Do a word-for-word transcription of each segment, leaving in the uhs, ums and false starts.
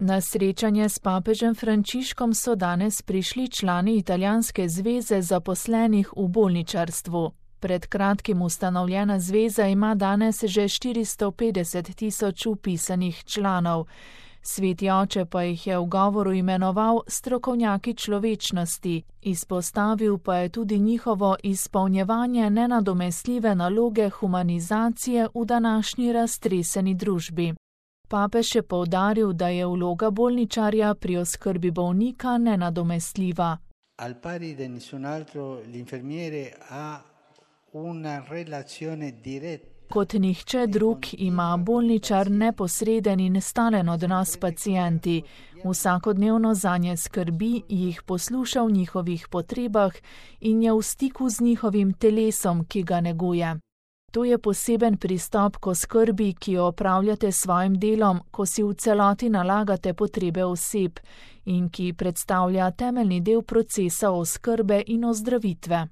Na srečanje s papežem Frančiškom so danes prišli člani Italijanske zveze zaposlenih v bolničarstvu. Pred kratkim ustanovljena zveza ima danes že štiristo petdeset tisoč vpisanih članov. Sveti oče pa jih je v govoru imenoval strokovnjaki človečnosti, izpostavil pa je tudi njihovo izpolnjevanje nenadomestljive naloge humanizacije v današnji raztreseni družbi. Papež je poudaril, da je vloga bolničarja pri oskrbi bolnika nenadomestljiva. Al pari di nessun altro, l'infermiere ha una relazione diretta. Kot nihče drug ima bolničar neposreden in stalen odnos s pacienti. Vsakodnevno zanje skrbi, jih posluša v njihovih potrebah in je v stiku z njihovim telesom, ki ga neguje. To je poseben pristop k oskrbi, ki jo opravljate s svojim delom, ko si v celoti nalagate potrebe oseb in ki predstavlja temeljni del procesa oskrbe in ozdravitve.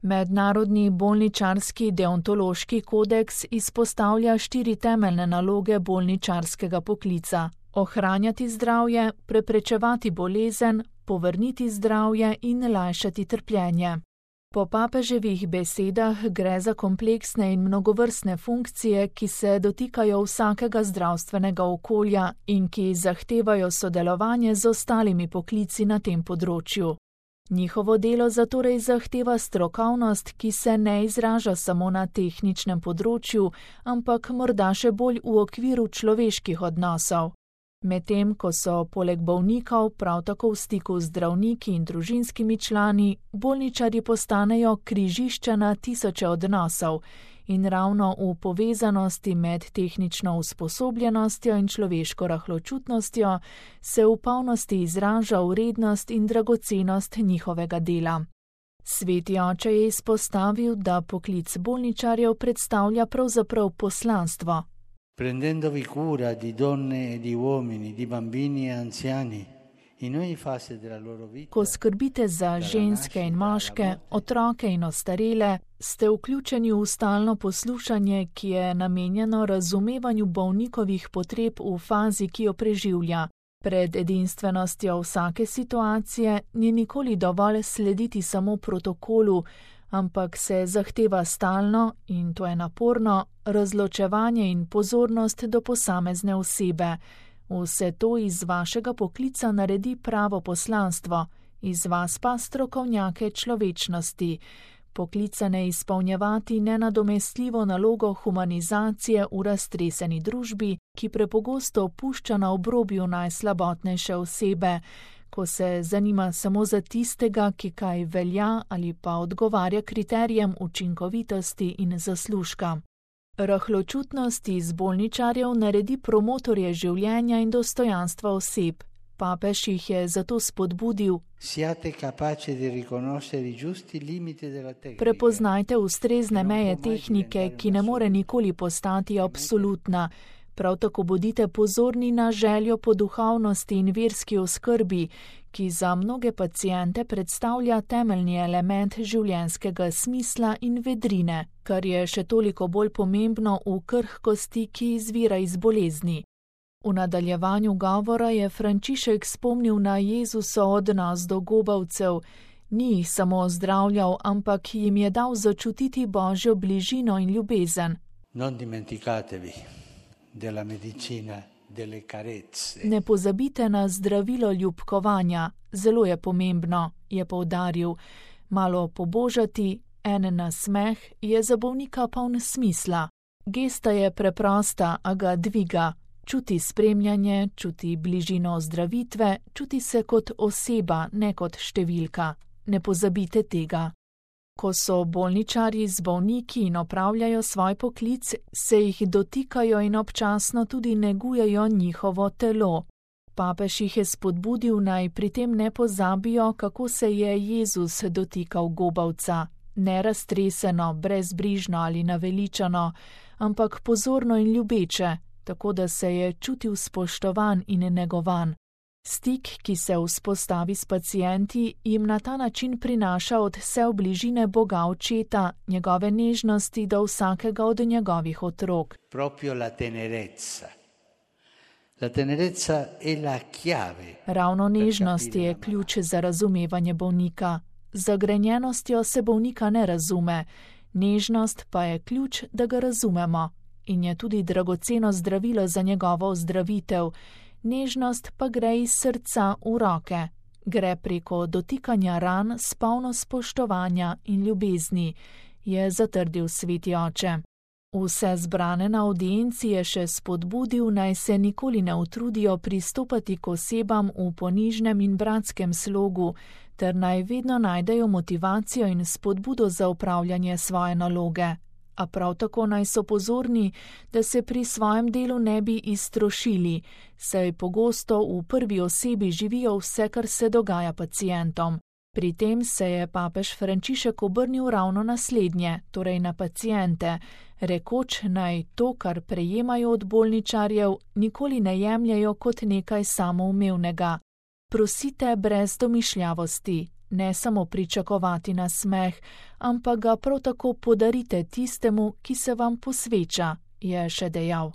Mednarodni bolničarski deontološki kodeks izpostavlja štiri temeljne naloge bolničarskega poklica: ohranjati zdravje, preprečevati bolezen, povrniti zdravje in lajšati trpljenje. Po papeževih besedah gre za kompleksne in mnogovrstne funkcije, ki se dotikajo vsakega zdravstvenega okolja in ki zahtevajo sodelovanje z ostalimi poklici na tem področju. Njihovo delo zatorej zahteva strokovnost, ki se ne izraža samo na tehničnem področju, ampak morda še bolj v okviru človeških odnosov. Medtem ko so poleg bolnikov prav tako v stiku z zdravniki in družinskimi člani, bolničarji postanejo križišča na tisoče odnosov in ravno v povezanosti med tehnično usposobljenostjo in človeško rahločutnostjo se v polnosti izraža vrednost in dragocenost njihovega dela. Sveti oče je izpostavil, da poklic bolničarjev predstavlja pravzaprav poslanstvo. Prendendovi cura di donne e di uomini, di bambini e anziani, in ogni fase della loro vita. Ko skrbite za ženske in moške, otroke in ostarele, ste vključeni v stalno poslušanje, ki je namenjeno razumevanju bolnikovih potreb v fazi, ki jo preživlja. Pred edinstvenostjo vsake situacije ni nikoli dovolj slediti samo protokolu, ampak se zahteva stalno, in to je naporno, razločevanje in pozornost do posamezne osebe. Vse to iz vašega poklica naredi pravo poslanstvo, iz vas pa strokovnjake človečnosti. Poklicane izpolnjevati nenadomestljivo nalogo humanizacije v raztreseni družbi, ki prepogosto opušča na obrobju najslabotnejše osebe, ko se zanima samo za tistega, ki kaj velja ali pa odgovarja kriterijem učinkovitosti in zaslužka. Rahločutnost iz bolničarjev naredi promotorje življenja in dostojanstva oseb. Papež jih je zato spodbudil: prepoznajte ustrezne meje tehnike, ki ne more nikoli postati absolutna. Prav tako bodite pozorni na željo po duhovnosti in verski oskrbi, ki za mnoge paciente predstavlja temeljni element življenjskega smisla in vedrine, kar je še toliko bolj pomembno v krhkosti, ki izvira iz bolezni. V nadaljevanju govora je Frančišek spomnil na Jezusov odnos do gobavcev. Ni jih samo ozdravljal, ampak jim je dal začutiti Božjo bližino in ljubezen. Non dimenticatevi della medicina delle carezze. Ne pozabite na zdravilo ljubkovanja, zelo je pomembno, je poudaril. Malo pobožati, en nasmeh je za bolnika poln smisla. Gesta je preprosta, a ga dviga. Čuti spremljanje, čuti bližino ozdravitve, čuti se kot oseba, ne kot številka. Ne pozabite tega. Ko so bolničarji z bolniki in opravljajo svoj poklic, se jih dotikajo in občasno tudi negujejo njihovo telo. Papež jih je spodbudil, naj pri tem ne pozabijo, kako se je Jezus dotikal gobavca. Ne raztreseno, brezbrižno ali naveličano, ampak pozorno in ljubeče, tako da se je čutil spoštovan in negovan. Stik, ki se vzpostavi s pacienti, jim na ta način prinaša od vse bližine Boga Očeta, njegove nežnosti do vsakega od njegovih otrok. Proprio la tenerezza, La tenerezza è la chiave. Ravno nežnost je ključ za razumevanje bolnika. Z zagrenjenostjo se bolnika ne razume, nežnost pa je ključ, da ga razumemo in je tudi dragoceno zdravilo za njegovo ozdravitev. Nežnost pa gre iz srca v roke, gre preko dotikanja ran s polno spoštovanja in ljubezni, je zatrdil sveti oče. Vse zbrane na avdienci je še spodbudil, naj se nikoli ne utrudijo pristopati k osebam v ponižnem in bratskem slogu, ter naj vedno najdejo motivacijo in spodbudo za upravljanje svoje naloge. A prav tako naj so pozorni, da se pri svojem delu ne bi iztrošili, saj pogosto v prvi osebi živijo vse, kar se dogaja pacientom. Pri tem se je papež Frančišek obrnil ravno na slednje, torej na paciente, rekoč naj to, kar prejemajo od bolničarjev, nikoli ne jemljajo kot nekaj samoumevnega. Prosite brez domišljavosti, ne samo pričakovati nasmeh, ampak ga prav tako podarite tistemu, ki se vam posveča, je še dejal.